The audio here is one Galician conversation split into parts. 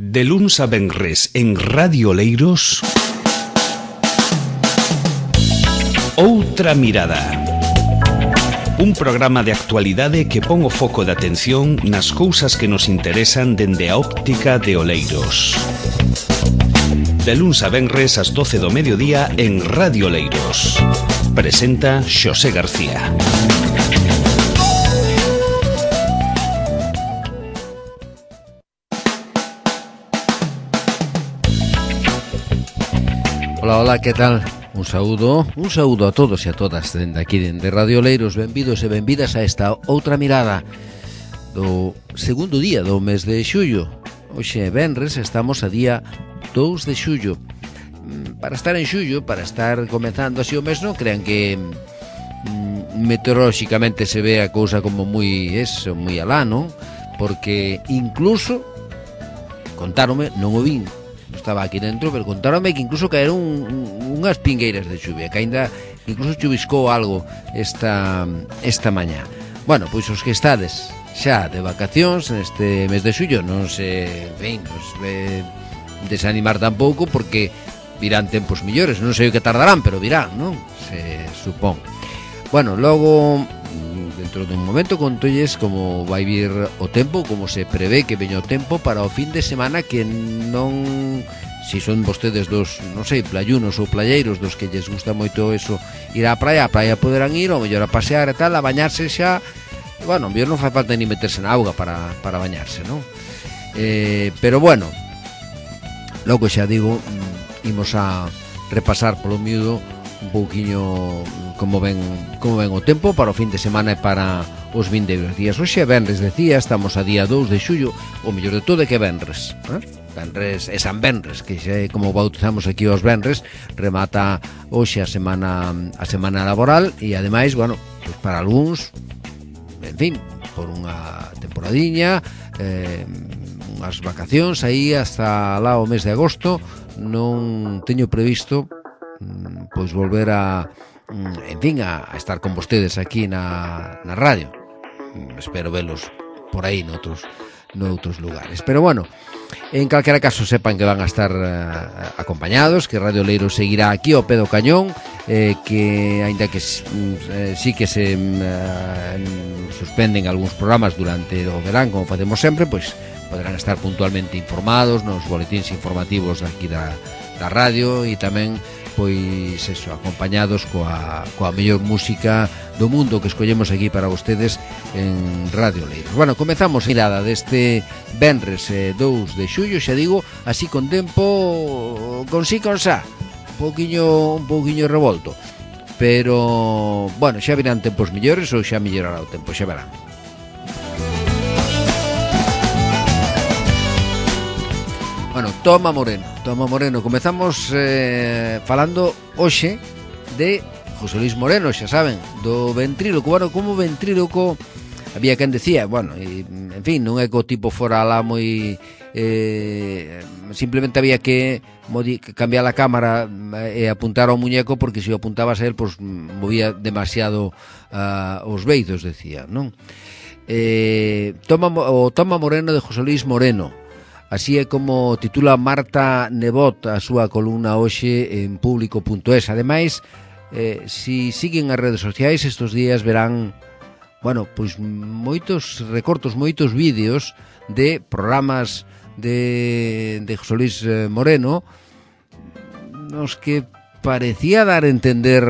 De luns a venres en Radio Oleiros, Outra Mirada. Un programa de actualidade que pon o foco de atención nas cousas que nos interesan dende a óptica de Oleiros. De luns a venres ás 12 do mediodía en Radio Oleiros. Presenta Xosé García. Hola, que tal? Un saúdo a todos e a todas dende aquí, dende Radio Oleiros. Benvidos e benvidas a esta outra mirada do segundo día do mes de xullo. Hoxe é venres, estamos a día 2 de xullo. Para estar en xullo, para estar comezando así o mes, non crean que meteorolóxicamente se ve a cousa como moi alá, non? Porque incluso contáronme, non o vin, estaba aquí dentro, pero contáronme que incluso caeron unhas pingueiras de chuvia, que ainda incluso chuviscou algo esta mañá. Bueno, pois os que estades xa de vacacións neste mes de xullo non se desanimar tampouco, porque virán tempos millores, non sei o que tardarán, pero virán, non? Se supón. Bueno, logo dentro dun momento contolles como vai vir o tempo, como se prevé que veña o tempo para o fin de semana, que non, si son vostedes dos, non sei, playunos ou playeiros, dos que lles gusta moito eso, ir á praia poderán ir, ou mellor a pasear e tal, a bañarse xa. Bueno, mellor non fai falta ni meterse na auga para bañarse, non? Pero bueno, logo xa digo, imos a repasar polo miúdo un pouquiño como ven o tempo para o fin de semana e para os vindeiros días. Hoxe é venres, decía, estamos a día 2 de xullo. O mellor de todo é que é venres, venres e San Venres, que xa é como bautizamos aquí os venres. Remata hoxe a semana laboral e ademais, bueno, pues para algúns, en fin, por unha temporadiña, unhas vacacións aí hasta lá o mes de agosto. Non teño previsto pois volver a estar con vostedes aquí na radio. Espero velos por aí noutros lugares. Pero bueno, en calquera caso sepan que van a estar acompañados, que Radio Oleiros seguirá aquí ao pé do cañón, que aínda que sí que se suspenden algúns programas durante o verán, como facemos sempre, pois poderán estar puntualmente informados nos boletíns informativos aquí da radio, e tamén pois eso, acompañados coa mellor música do mundo que escollemos aquí para vostedes en Radio Oleiros. Bueno, comezamos a mirada deste venres 2 de xullo, xa digo, así con tempo, con xa, un pouquiño revolto. Pero, bueno, xa virán tempos millores ou xa mellorará o tempo, xa verán. Bueno, Toma Moreno. Comezamos falando hoxe de José Luis Moreno, xa saben, do ventríloco. Bueno, como ventríloco, había quen decía, bueno, en fin, non é que o tipo fora alá moi... simplemente había que cambiar a cámara e apuntar ao muñeco, porque se o apuntabas a él, pues movía demasiado os beizos, decía, non? Toma Moreno de José Luis Moreno. Así é como titula Marta Nebot a súa columna hoxe en público.es. Ademais, si siguen as redes sociais estes días verán, bueno, pois moitos recortos, moitos vídeos de programas de José Luis Moreno, nos que parecía dar a entender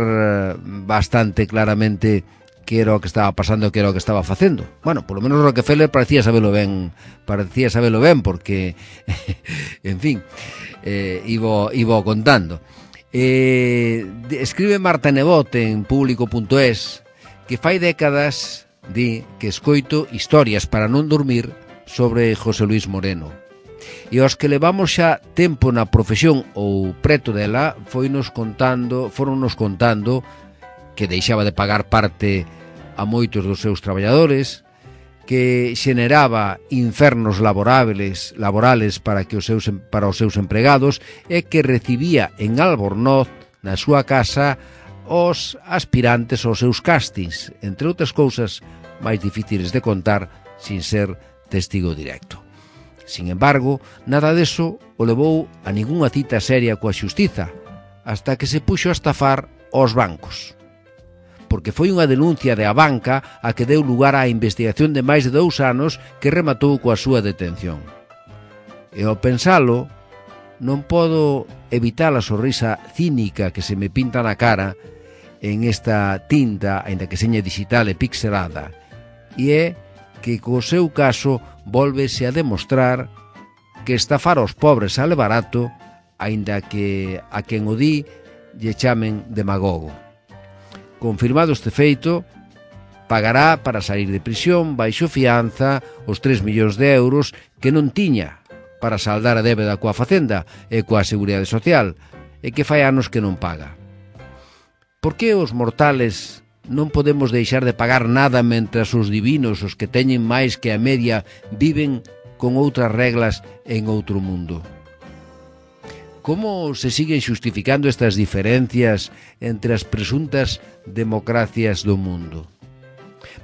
bastante claramente que era o que estaba pasando, que era o que estaba facendo. Bueno, polo menos Rockefeller parecía sabelo ben, porque en fin, iba contando. Escribe Marta Nebot en público.es que fai décadas di que escoito historias para non dormir sobre José Luis Moreno, e os que levamos xa tempo na profesión ou preto dela foronnos contando que deixaba de pagar parte a moitos dos seus traballadores, que xeneraba infernos laborales para os seus empregados, e que recibía en Albornoz, na súa casa, os aspirantes aos seus castings, entre outras cousas máis difíciles de contar sin ser testigo directo. Sin embargo, nada deso o levou a ningunha cita seria coa xustiza, hasta que se puxo a estafar aos bancos. Porque foi unha denuncia de a banca a que deu lugar á investigación de máis de 2 anos que rematou coa súa detención. E ao pensalo, non podo evitar a sonrisa cínica que se me pinta na cara en esta tinta, aínda que seña digital e pixelada, e é que co seu caso volvese a demostrar que estafar aos pobres sale barato, aínda que a quen o di lle chamen demagogo. Confirmado este feito, pagará para sair de prisión baixo fianza os 3 millóns de euros que non tiña para saldar a débeda coa Facenda e coa Seguridade Social, e que fai anos que non paga. Por que os mortales non podemos deixar de pagar nada mentras os divinos, os que teñen máis que a media, viven con outras reglas en outro mundo? Como se siguen xustificando estas diferencias entre as presuntas democracias do mundo?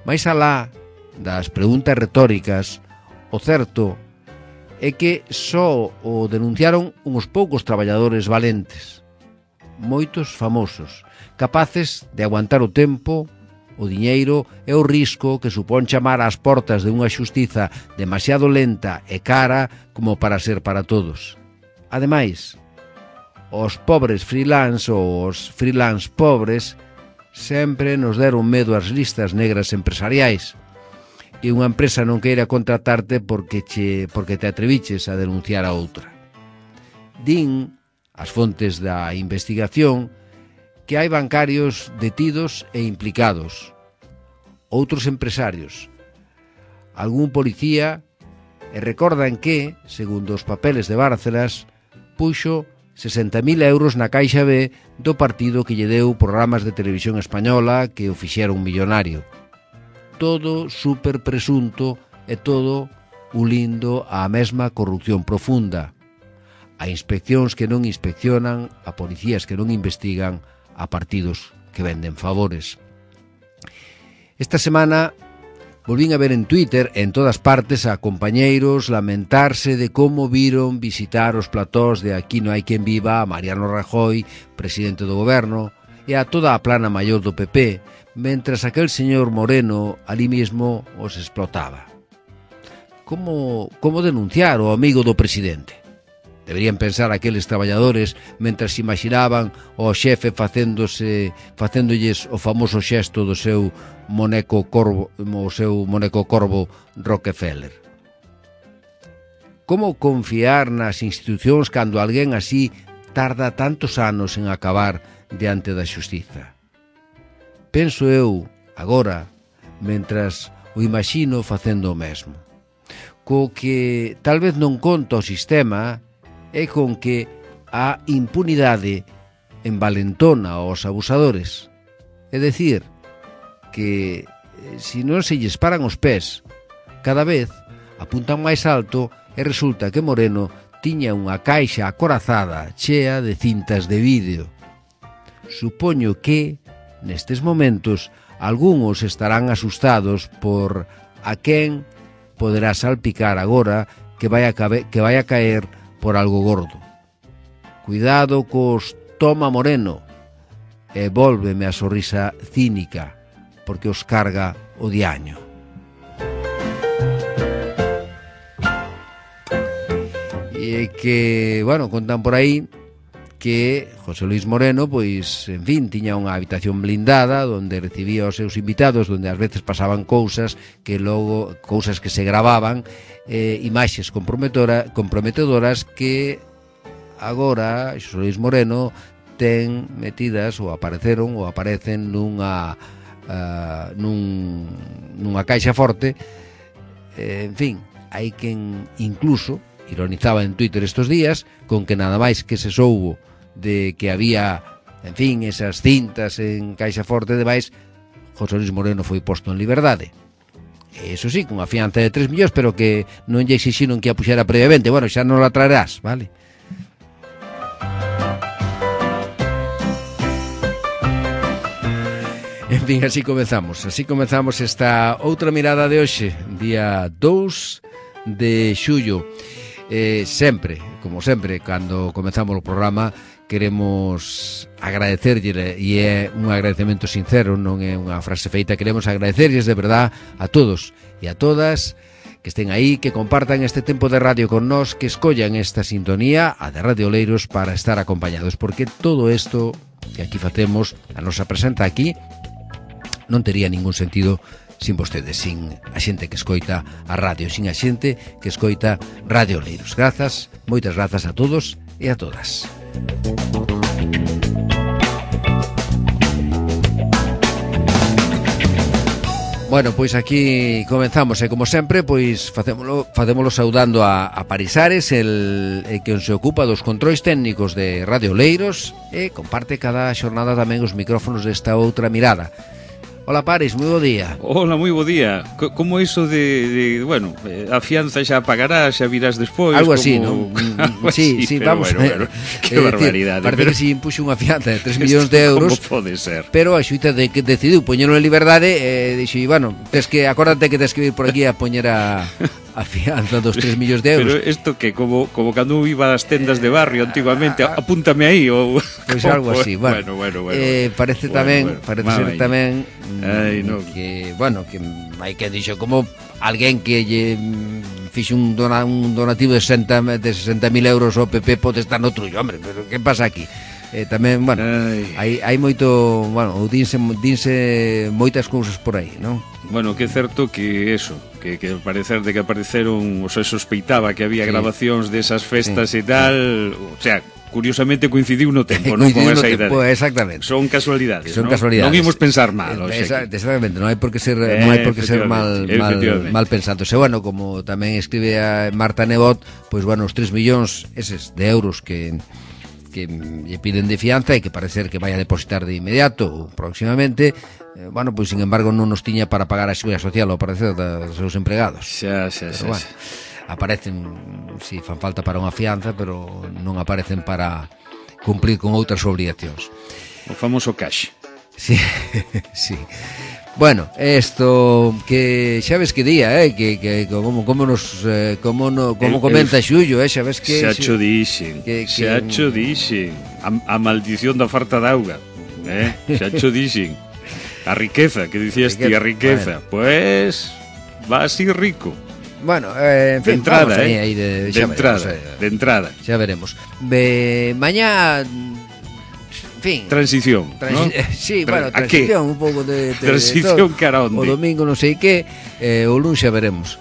Mais alá das preguntas retóricas, o certo é que só o denunciaron uns poucos traballadores valentes, moitos famosos, capaces de aguantar o tempo, o diñeiro e o risco que supón chamar ás portas de unha xustiza demasiado lenta e cara como para ser para todos. Ademais, os pobres freelance ou os freelance pobres sempre nos deron medo ás listas negras empresariais, e unha empresa non queira contratarte porque te atreviches a denunciar a outra. Din as fontes da investigación que hai bancarios detidos e implicados, outros empresarios, algún policía, e recordan que, segundo os papeles de Bárcenas, puxo 60.000 euros na caixa B do partido que lle deu programas de televisión española que o fixeron millonario. Todo super presunto e todo ulindo á mesma corrupción profunda, a inspeccións que non inspeccionan, a policías que non investigan, a partidos que venden favores. Esta semana volvín a ver en Twitter, en todas partes, a compañeiros lamentarse de como viron visitar os platós de Aquí non hai quen viva a Mariano Rajoy, presidente do goberno, e a toda a plana maior do PP, mentras aquel señor Moreno ali mesmo os explotaba. Como denunciar o amigo do presidente? Deberían pensar aqueles traballadores mentras imaginaban o xefe facéndolles o famoso xesto do seu moneco corvo Rockefeller. Como confiar nas institucións cando alguén así tarda tantos anos en acabar diante da xustiza? Penso eu, agora, mentras o imagino facendo o mesmo. Co que tal vez non conta o sistema é con que a impunidade envalentona aos abusadores. É dicir, que se non se lles paran os pés, cada vez apuntan máis alto e resulta que Moreno tiña unha caixa acorazada chea de cintas de vídeo. Supoño que, nestes momentos, algúns estarán asustados por a quen poderá salpicar agora que vai a caer por algo gordo. Cuidado cos toma Moreno, e vólveme a sorrisa cínica, porque os carga o diaño. E que, bueno, contan por aí que José Luis Moreno, pois, en fin, tiña unha habitación blindada onde recibía os seus invitados, onde ás veces pasaban cousas que se gravaban, imaxes comprometedoras que agora José Luis Moreno ten metidas ou aparecen nunha caixa forte. En fin, hai quen incluso ironizaba en Twitter estos días con que nada máis que se soubo de que había, en fin, esas cintas en caixa forte e demais, José Luis Moreno foi posto en liberdade. Eso sí, con a fianza de 3 millóns, pero que non lle exixiron que a puxera previamente. Bueno, xa non la traerás, vale? En fin, así comezamos esta outra mirada de hoxe, día 2 de xullo. Sempre, como sempre, cando comezamos o programa, queremos agradecerlle, e é un agradecemento sincero, non é unha frase feita, queremos agradecerlles de verdad a todos e a todas que estén aí, que compartan este tempo de radio con nós, que escollan esta sintonía, a de Radio Oleiros, para estar acompañados, porque todo isto que aquí facemos, a nosa presenta aquí, non tería ningún sentido sin vostedes, sin a xente que escoita a radio, sin a xente que escoita Radio Oleiros. Grazas, moitas grazas a todos e a todas. Bueno, pois aquí comenzamos e como sempre, pois facémolo saudando a Parisares, el que se ocupa dos controis técnicos de Radio Oleiros e comparte cada xornada tamén os micrófonos desta outra mirada. Hola Paris, moi bo día. Hola, moi bo día. Como iso de bueno, a fianza xa pagará, xa virás despois. Algo así, como... non? Sí, vamos. Bueno, que barbaridade. Parece que si impuxo unha fianza de 3 millóns de euros. Como pode ser? Pero a xuíza de que decidiu poñelo en liberdade, dixo, bueno, acórdate que tes que vir por aquí a poñer a fianza dos 3 millóns de euros. Pero isto que como cando iba ás tendas de barrio antigamente, apúntame aí ou pois algo así, bueno. Parece tamén, parece ser tamén que, bueno, que hai que dixo como alguén que lle fixe un donativo de 60.000 euros ao PP pode estar no trullo, hombre, pero que pasa aquí? Tamén, bueno, hai moito, bueno, dinse moitas cousas por aí, non? Bueno, que é certo que eso, que parecer de que apareceron, o sea, sospeitaba que había grabacións desas festas e tal, o sea, curiosamente coincidiu no tempo, non con esa idea. Pues exactamente. Son casualidades, son ¿no? Casualidades. Non imos pensar mal, exactamente, non hai por que ser mal pensado. E bueno, como tamén escribe a Marta Nebot, pois bueno, os 3 millóns eses de euros que lle piden de fianza e que parece ser que vai a depositar de inmediato ou próximamente, bueno, pois sin embargo non nos tiña para pagar a seguridade social ao parecer dos seus empregados. Xa. Bueno, aparecen, si fan falta para unha fianza, pero non aparecen para cumplir con outras obligacións. O famoso cash. Sí, sí. Bueno, isto que xa ves que día, que como comenta Xullo, xa ves que xa cho dixen. A maldición da falta de auga, xa cho dixen. A riqueza, que dicías ti, a riqueza. Bueno. Pues va así rico. Bueno, en fin, de entrada, aí de entrada. Xa veremos. Mañá, en fin, transición, ¿no? Sí, bueno, transición, un pouco de transición cara onde. O domingo non sei que, o luns xa veremos.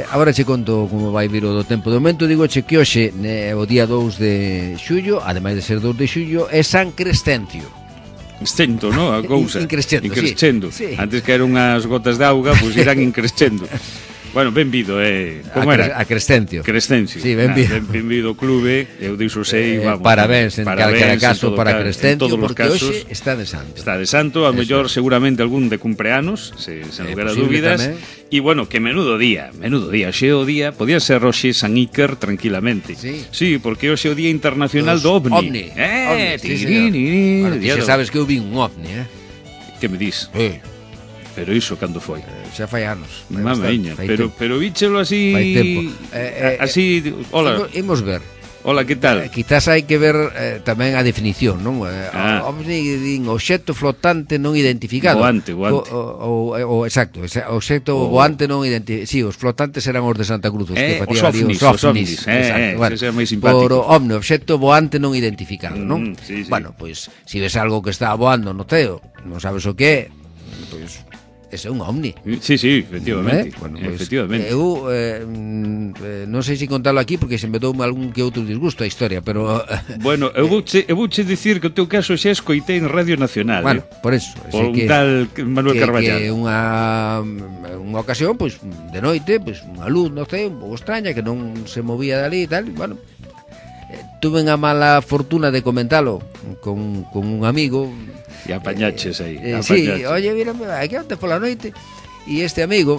Agora che conto como vai vir o do tempo. De momento digo che que hoxe, o día 2 de xullo, ademais de ser 2 de xullo, é San Crescencio. Increscendo, ¿no? A cousa. Increscendo. Sí. Antes que eran unhas gotas de auga, pois irán increscendo. Bueno, benvido, como era? A Crescencio. Sí, benvido ao clube, eu diso sei, vamos. Parabéns en calquera caso para Crescencio, porque hoxe está de santo. Está de santo, a mellor seguramente algún de cumpleanos, sen lugar a dúbidas. E bueno, que menudo día, hoxe o día, podía ser hoxe San Iker tranquilamente. Sí, porque hoxe é o Día Internacional do OVNI. Bueno, xa sabes que eu vi un OVNI, Que me dis? Pero iso cando foi? Xa fai anos. Mamaña, pero víchelo así. Fai tempo. Así, hola. Imos ver. Hola, que tal? Quizás hai que ver tamén a definición, non? Din obxecto flotante non identificado. Voante. Exacto, obxecto voante non identificado. Sí, os flotantes eran os de Santa Cruz, que facían ali os ovnis. Exacto, bueno, ese é máis simpático. Por ovni, obxecto voante non identificado, non? Sí. Bueno, pois, se ves algo que está voando no ceo, non sabes o que é, pois ese é un ovni. Sí, efectivamente. Bueno, pues, efectivamente. Eu non sei se contalo aquí porque se me dou algún que outro disgusto a historia, pero bueno, eu vouche dicir que o teu caso xa escoitei en Radio Nacional. Bueno, por eso, por un tal Manuel Carballal. Que unha ocasión, pois de noite, pois unha luz, non sei, un pouco extraña que non se movía dali e tal, bueno, tuve a mala fortuna de comentalo con un amigo. E apañaches aí. Sí, oye, mira, aquí onte pola noite e este amigo,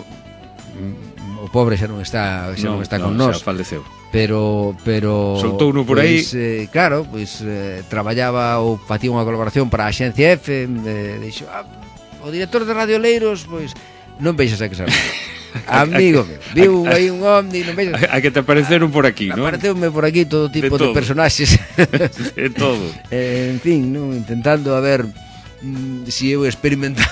o pobre xa non está con nós. Xa faleceu. Pero soltou uno por aí. Claro, traballaba ou facía unha colaboración para a Axencia F, dixo, o director de Radio Oleiros, pois non veixas a que sabe. amigo meu, viu aí un ovni, non vexo? A que te apareceron por aquí, non? Apareceume por aquí todo tipo de personaxes. De todo. En fin, non, intentando a ver si eu experimentar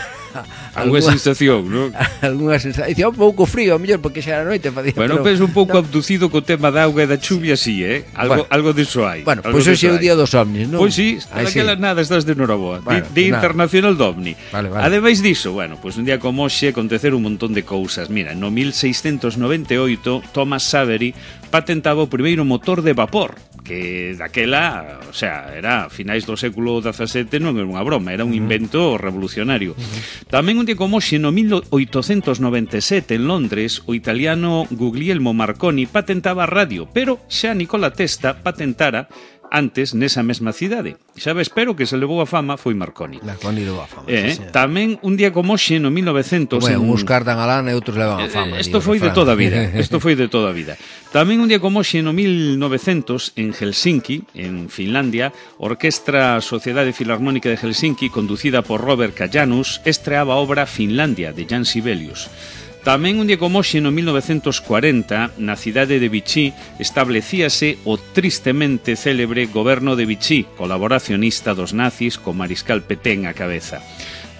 alguna sensación, non? Alguna sensación. Dicía un pouco frío, a mellor, porque xa era noite facía. Bueno, pero penso un pouco abducido co tema da auga e da chuvia, sí, algo diso hai. Bueno, pois hoxe é o día dos ovnis, non? Pois sí, aquela nada estás de noraboa. Día Internacional do OVNI. Vale. Ademais diso, bueno, pois un día como hoxe acontecer un montón de cousas. Mira, no 1698 Thomas Savery patentaba o primeiro motor de vapor, que daquela, o sea, era a finais do século XVII, non era unha broma, era un invento revolucionario. Tamén un día como hoxe, no 1897, en Londres, o italiano Guglielmo Marconi patentaba a radio, pero xa Nikola Tesla patentara antes nesa mesma cidade. Xa ves, pero que se levou a fama foi Marconi. Marconi levou a fama. Tamén un día como hoxe, no 1900... Bueno, uns cardan a lana e outros levan a fama. Isto foi de toda a vida. Isto foi de toda a vida. Tamén un día como hoxe, no 1900, en Helsinki, en Finlandia, a Orquestra Sociedade Filarmónica de Helsinki, conducida por Robert Kajanus, estreaba a obra Finlandia, de Jan Sibelius. Tamén un día como hoxe, no 1940, na cidade de Vichy, establecíase o tristemente célebre goberno de Vichy, colaboracionista dos nazis, con Mariscal Pétain á cabeza.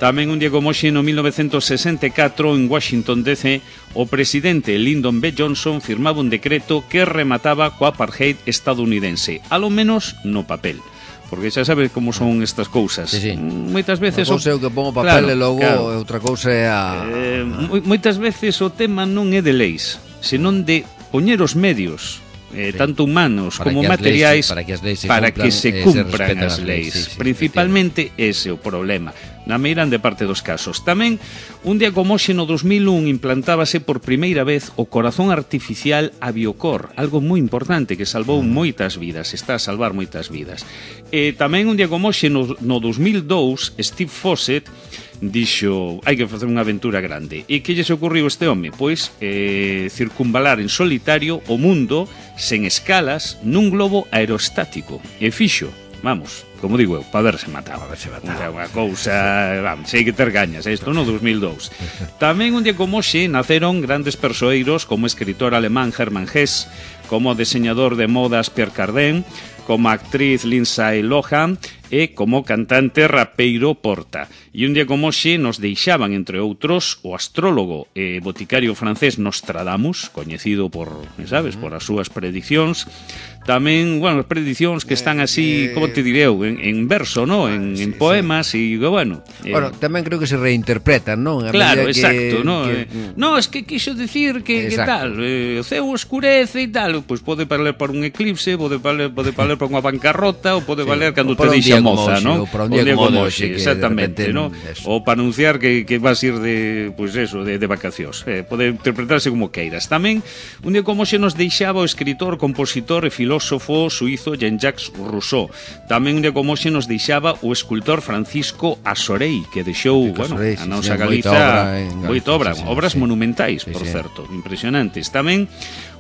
Tamén un día como hoxe, no 1964, en Washington DC, o presidente Lyndon B. Johnson firmaba un decreto que remataba co apartheid estadounidense, alo menos no papel. Porque xa sabes como son estas cousas. Sí. Moitas veces o cousa é o que pongo papel, claro, e logo outra cousa é a... moitas veces o tema non é de leis, senón de poñer os medios, tanto humanos como materiais, para que se cumpran as leis. Principalmente ese é o problema, na meirande parte dos casos. Tamén, un día como hoxe, no 2001, implantábase por primeira vez o corazón artificial Aviocor, algo moi importante que salvou moitas vidas, está a salvar moitas vidas. Tamén un día como hoxe, no 2002, Steve Fossett dixo, hai que facer unha aventura grande. E que lle se ocurriu este home? Pois circunvalar en solitario o mundo sen escalas nun globo aerostático. E fixo, vamos, como digo eu, para verse matado. Unha cousa, vamos, hai que ter gañas, isto no 2002. Tamén un día como hoxe naceron grandes persoeiros como o escritor alemán Hermann Hesse, como o deseñador de modas Pierre Cardin, como a actriz Lindsay Lohan e como cantante rapeiro Porta. E un día como hoxe nos deixaban, entre outros, o astrólogo e boticario francés Nostradamus, coñecido por, sabes, por as súas predicións. Tamén, bueno, predicións que están así, como te diré eu, en verso, ¿no? En poemas e, bueno... Bueno, tamén creo que se reinterpretan, non? Claro, exacto, ¿no? No, es que quixo decir que tal, o ceo escurece e tal, pois pode valer para un eclipse, pode valer para unha bancarrota, ou pode valer cando te deixa moza, ¿no? Ou para un día como hoxe, exactamente, ¿no? Ou para anunciar que vas ir de, pois eso, de vacacións. Pode interpretarse como queiras. Tamén, un día como hoxe nos deixaba o escritor, compositor e filósofo suizo Jean-Jacques Rousseau. Tamén un día como hoxe nos deixaba o escultor Francisco Asorei, que deixou, bueno, a nosa Galiza moita obra, obras monumentais, por certo, impresionantes. Tamén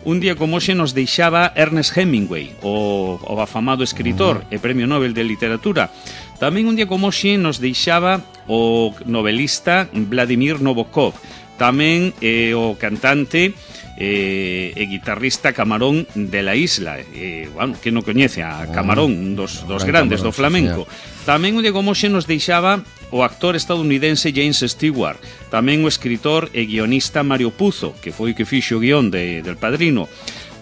un día como hoxe nos deixaba Ernest Hemingway, o afamado escritor e Premio Nobel de Literatura. Tamén un día como hoxe nos deixaba o novelista Vladimir Nabokov. Tamén o cantante e guitarrista Camarón de la Isla, bueno, que non coñece a Camarón, un dos grandes do flamenco. Tamén un día como hoxe nos deixaba o actor estadounidense James Stewart, tamén o escritor e guionista Mario Puzo, que foi o que fixo o guión del Padrino.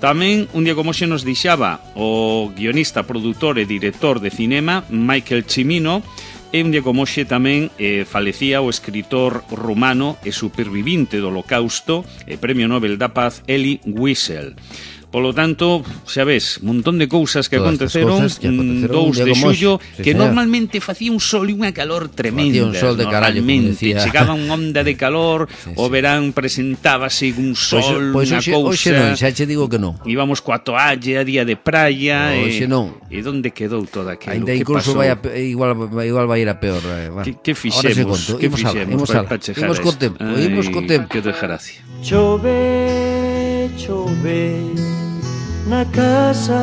Tamén un día como hoxe nos deixaba o guionista, produtor e director de cinema Michael Cimino. E un día como hoxe tamén falecía o escritor rumano e supervivinte do Holocausto e Premio Nobel da Paz Elie Wiesel. Polo tanto, xa ves, un montón de cousas que aconteceron 2 de xullo, que normalmente facía un sol e unha calor tremenda. Facía un sol de carallo, como decía. Chegaba unha onda de calor, o verán presentábase un sol, unha cousa... Hoxe non, xa che digo que non. Íbamos coa toalla, día de praia... Hoxe non. E onde quedou todo aquilo? Ainda incluso igual vai ir a peor. Que fixemos? Imos co tempo. Que desgracia. Chove, na casa.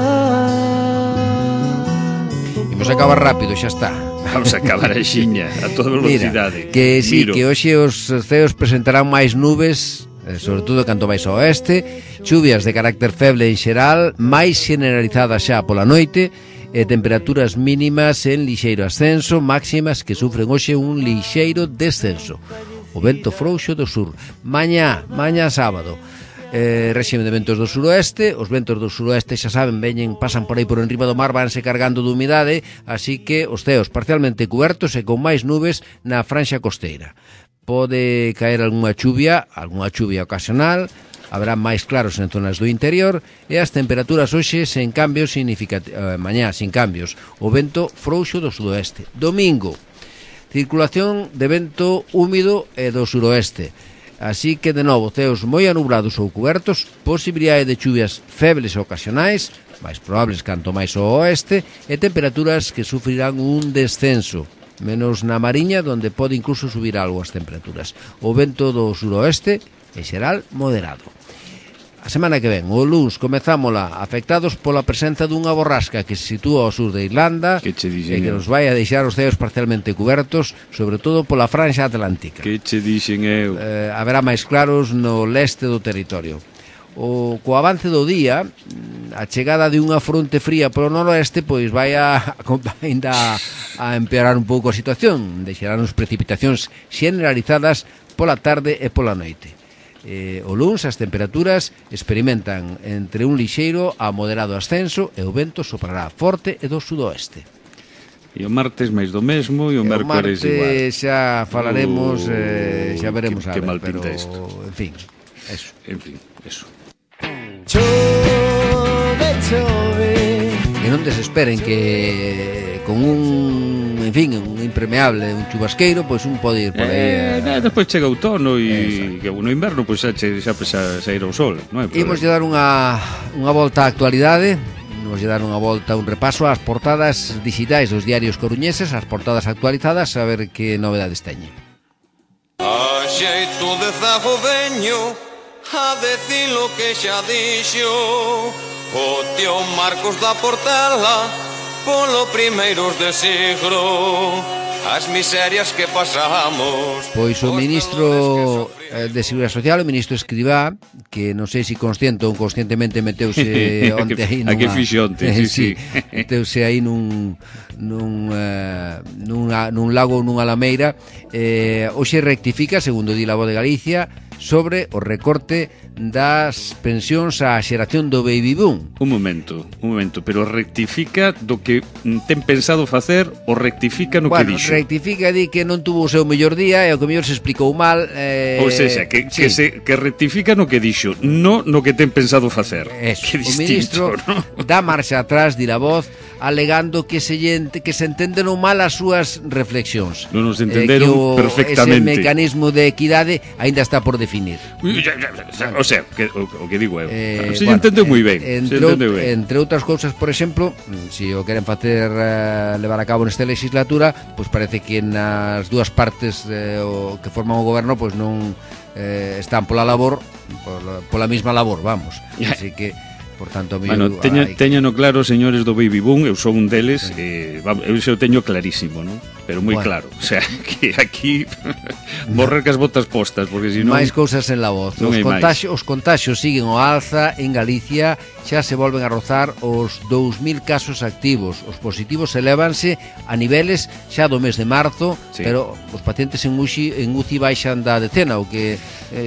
Imos acabar rápido, xa está. Vamos a acabar a xiña a toda velocidade. Mira, que sí, que hoxe os ceos presentarán máis nubes sobre todo canto máis ao oeste, chuvias de carácter feble en xeral, máis generalizadas xa pola noite, e temperaturas mínimas en lixeiro ascenso, máximas que sufren hoxe un lixeiro descenso. O vento frouxo do sur. Mañá sábado, réxime de ventos do suroeste. Os ventos do suroeste, xa saben, pasan por aí por enriba do mar, vanse cargando de humidade, así que os ceos parcialmente cubertos e con máis nubes na franxa costeira. Pode caer algunha chuvia ocasional, haberá máis claros en zonas do interior, e as temperaturas hoxe sen cambios mañá sin cambios. O vento frouxo do sudoeste. Domingo, circulación de vento húmido e do suroeste. Así que, de novo, ceos moi anublados ou cubertos, posibilidade de chuvias febles ocasionais, máis probables canto máis ao oeste, e temperaturas que sufrirán un descenso, menos na Mariña, donde pode incluso subir algo as temperaturas. O vento do suroeste, en xeral, moderado. A semana que ven, o luns, comezámola afectados pola presenza dunha borrasca que se sitúa ao sur de Irlanda e que nos vai a deixar os ceos parcialmente cubertos, sobre todo pola franxa atlántica. Que che dixen eu? Haberá máis claros no leste do territorio. Co avance do día, a chegada de unha fronte fría polo noroeste pois vai ainda a empeorar un pouco a situación. Deixarán precipitacións generalizadas pola tarde e pola noite. O luns as temperaturas experimentan entre un lixeiro a moderado ascenso e o vento soprará forte e do sudoeste. E o martes máis do mesmo e o mércores igual. O martes xa falaremos, xa veremos a ver, mal pero pinta isto. En fin, eso. Chove, chove. E non desesperen que con un impermeable, un chubasqueiro, pois un pode ir por aí. Depois chega o outono e que no inverno pois xa sairá o sol, non é? Imos lle dar unha volta á actualidade. Vamos a dar unha volta, un repaso ás portadas digitais dos diarios coruñeses, as portadas actualizadas, a ver que novedades teñen. A xeito de zago veño a decir lo que xa dixo o tío Marcos da Portela polo primeiros de siglo, as miserias que pasamos. Pois o ministro de Seguridade Social, o ministro Escrivá, que non sei se consciente ou inconscientemente meteuse onte aí nunha... A que fixonte, sí. Meteuse aí nun lago ou nunha lameira. Hoxe rectifica, segundo di La Voz de Galicia, sobre o recorte das pensións á xeración do baby boom. Un momento, pero rectifica do que ten pensado facer ou rectifica no que dixo? Bueno, rectifica, di que non tuvo o seu mellor día e o que mellor se explicou mal. Ou seja, que rectifica no que dixo, non no que ten pensado facer. Eso, o ministro, ¿no? Dá marcha atrás, di La Voz, alegando que se entenderon mal as súas reflexións. Non nos entenderon perfectamente. Ese mecanismo de equidade ainda está por definir. O sea, o que digo eu. Se entendeu moi ben. Entre outras cousas, por exemplo, se o queren facer levar a cabo nesta legislatura, pois parece que nas dúas partes que forman o goberno pois non están pola mesma labor, vamos. Así que por tanto, bueno, teñano claro, señores do Baby Boom, eu sou un deles, eu xa o teño clarísimo, non? Pero moi claro, o sea, que aquí morrer cas botas postas, porque senón... máis cousas en La Voz. Os contaxios siguen ao alza en Galicia, xa se volven a rozar os 2.000 casos activos. Os positivos elévanse a niveles xa do mes de marzo, sí. Pero os pacientes en UCI baixan da decena, o que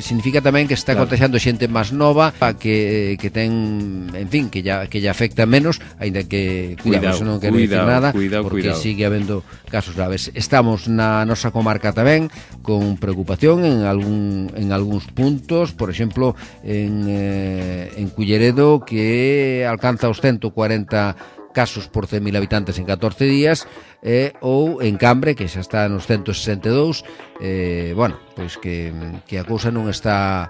significa tamén que está contagiando xente máis nova, que ten, en fin, que ya afecta menos, aínda que cuidado, non quero dicir nada, porque sigue habendo casos graves. Estamos na nosa comarca tamén con preocupación en algúns puntos, por exemplo, en Culleredo, que alcanza os 140 casos por 100.000 habitantes en 14 días, ou en Cambre, que xa está nos 162. Bueno, pois que a cousa non está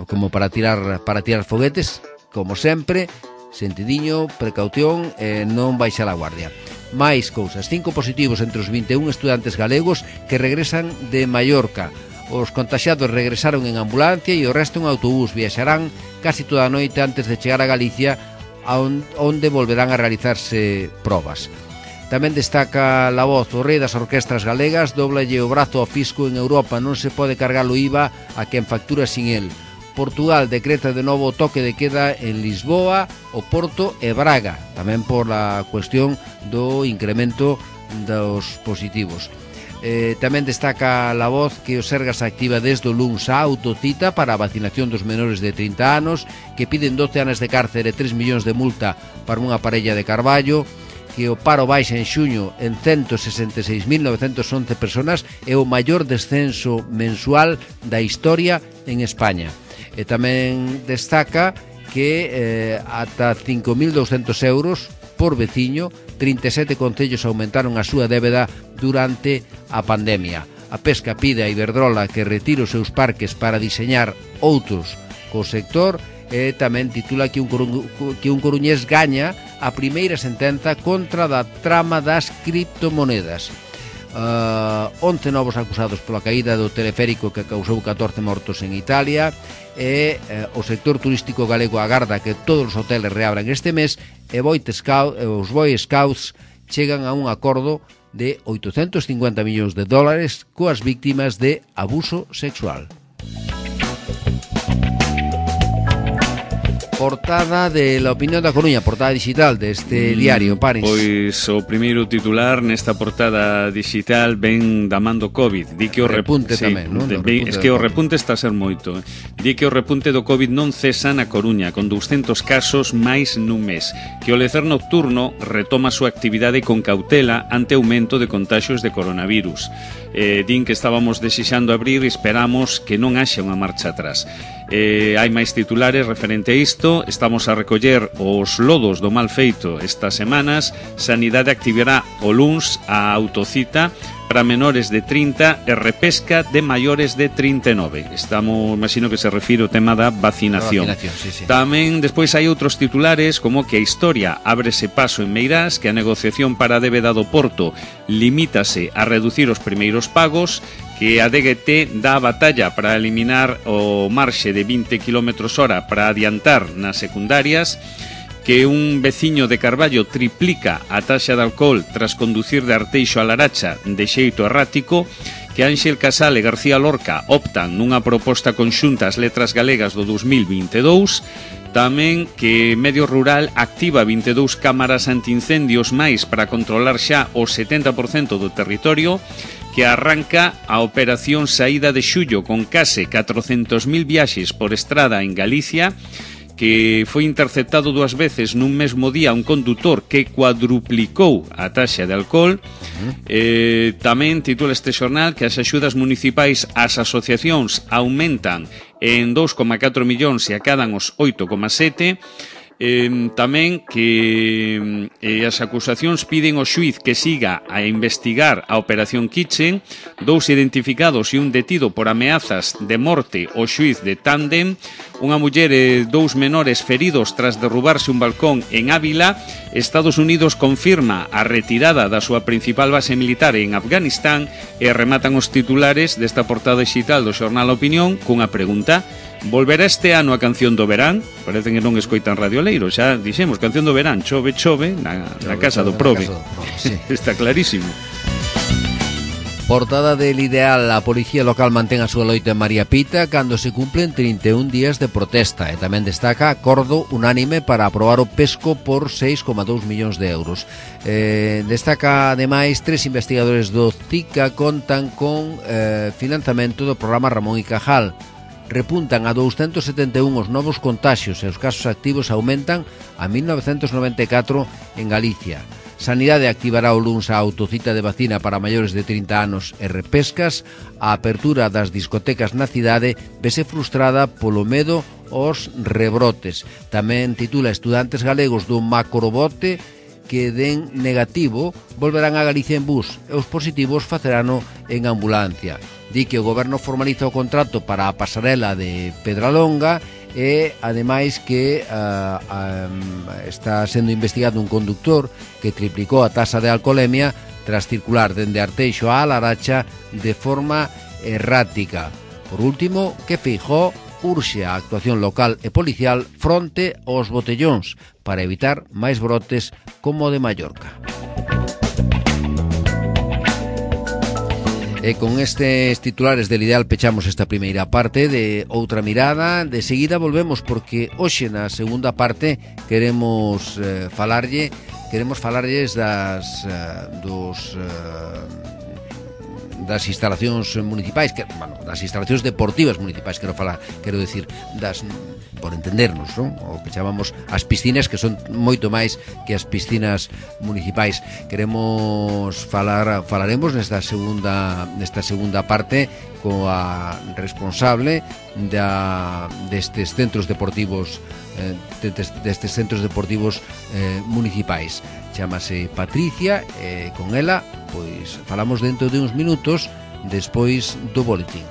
como para tirar foguetes, como sempre, sentidiño, precaución, non baixar a guardia. Máis cousas, 5 positivos entre os 21 estudantes galegos que regresan de Mallorca. Os contaxiados regresaron en ambulancia e o resto en autobús. Viaxarán casi toda a noite antes de chegar a Galicia, onde volverán a realizarse probas. Tamén destaca La Voz: o rei das orquestras galegas doblalle o brazo ao fisco en Europa, non se pode cargar o IVA a quen factura sin el. Portugal decreta de novo o toque de queda en Lisboa, o Porto e Braga, tamén por a cuestión do incremento dos positivos. Tamén destaca La Voz que o Sergas activa desde o luns a autocita para a vacinación dos menores de 30 anos, que piden 12 anos de cárcere e 3 millóns de multa para unha parella de Carballo, que o paro baixa en xuño en 166.911 personas, é o maior descenso mensual da historia en España. E tamén destaca que ata 5.200 euros por veciño, 37 concellos aumentaron a súa débeda durante a pandemia. A Pesca pide a Iberdrola que retire os seus parques para diseñar outros co sector, e tamén titula que un coruñés gaña a primeira sentenza contra da trama das criptomonedas. 11 novos acusados pola caída do teleférico que causou 14 mortos en Italia, e o sector turístico galego agarda que todos os hoteles reabran este mes, e os Boy Scouts chegan a un acordo de 850 millóns de dólares coas víctimas de abuso sexual. Portada de La Opinión da Coruña, portada digital deste diario, Paris. Pois o primeiro titular nesta portada digital ven da man do COVID. Di que o repunte tamén, non? Es que o repunte está a ser moito. Di que o repunte do COVID non cesa na Coruña, con 200 casos máis nun mes. Que o lecer nocturno retoma a súa actividade con cautela ante aumento de contaxios de coronavirus. Din que estábamos desexando abrir e esperamos que non haxa unha marcha atrás. Hai máis titulares referente a isto. Estamos a recoller os lodos do mal feito estas semanas. Sanidade activará o luns a autocita para menores de 30 e repesca de maiores de 39. Estamos, imagino que se refire ao tema da vacinación. Sí. Tamén despois hai outros titulares como que a historia ábrese paso en Meirás, que a negociación para a débeda do Porto limítase a reducir os primeiros pagos, que a DGT dá a batalla para eliminar o marxe de 20 km/h para adiantar nas secundarias, que un veciño de Carballo triplica a taxa de alcohol tras conducir de Arteixo a Laracha de xeito errático, que Ángel Casal e García Lorca optan nunha proposta conxunta ás letras galegas do 2022, tamén que Medio Rural activa 22 cámaras antiincendios máis para controlar xa o 70% do territorio, que arranca a operación Saída de Xullo con case 400.000 viaxes por estrada en Galicia, que foi interceptado 2 veces nun mesmo día un condutor que cuadruplicou a taxa de alcohol. Tamén titula este xornal que as axudas municipais ás asociacións aumentan en 2,4 millóns e acadan os 8,7. Tamén que as acusacións piden ao xuiz que siga a investigar a Operación Kitchen. 2 identificados e un detido por ameazas de morte ao xuiz de Tándem. Unha muller e 2 menores feridos tras derrubarse un balcón en Ávila. Estados Unidos confirma a retirada da súa principal base militar en Afganistán. E rematan os titulares desta portada digital do xornal Opinión cunha pregunta: volverá este ano a canción do verán? Parece que non escoitan Radio Leiro. Xa dixemos, canción do verán, chove, na casa do Prove. Sí. Está clarísimo. Portada del Ideal: a policía local mantén a súa loita en María Pita cando se cumplen 31 días de protesta. E tamén destaca acordo unánime para aprobar o pesco por 6,2 millóns de euros. Destaca ademais 3 investigadores do CICA contan con financiamento do programa Ramón y Cajal. Repuntan a 271 os novos contaxios e os casos activos aumentan a 1994 en Galicia. Sanidade activará o luns a autocita de vacina para maiores de 30 anos e repescas. A apertura das discotecas na cidade vese frustrada polo medo aos rebrotes. Tamén titula: estudantes galegos do macrobote que den negativo volverán a Galicia en bus e os positivos facerano en ambulancia. Di que o goberno formaliza o contrato para a pasarela de Pedralonga e ademais que está sendo investigado un conductor que triplicou a tasa de alcoholemia tras circular dende Arteixo a Laracha de forma errática. Por último, que Feijóo urxe a actuación local e policial fronte aos botellóns para evitar máis brotes como o de Mallorca. E con estes titulares del Ideal pechamos esta primeira parte de Outra Mirada. De seguida volvemos porque hoxe na segunda parte queremos falarlles das instalacións municipais, das instalacións deportivas municipais, quero decir, por entendernos, non? O que chamamos as piscinas, que son moito máis que as piscinas municipais. Falaremos nesta segunda parte coa responsable destes centros deportivos municipais. Chámase Patricia, e con ela pois falamos dentro de uns minutos despois do boletín.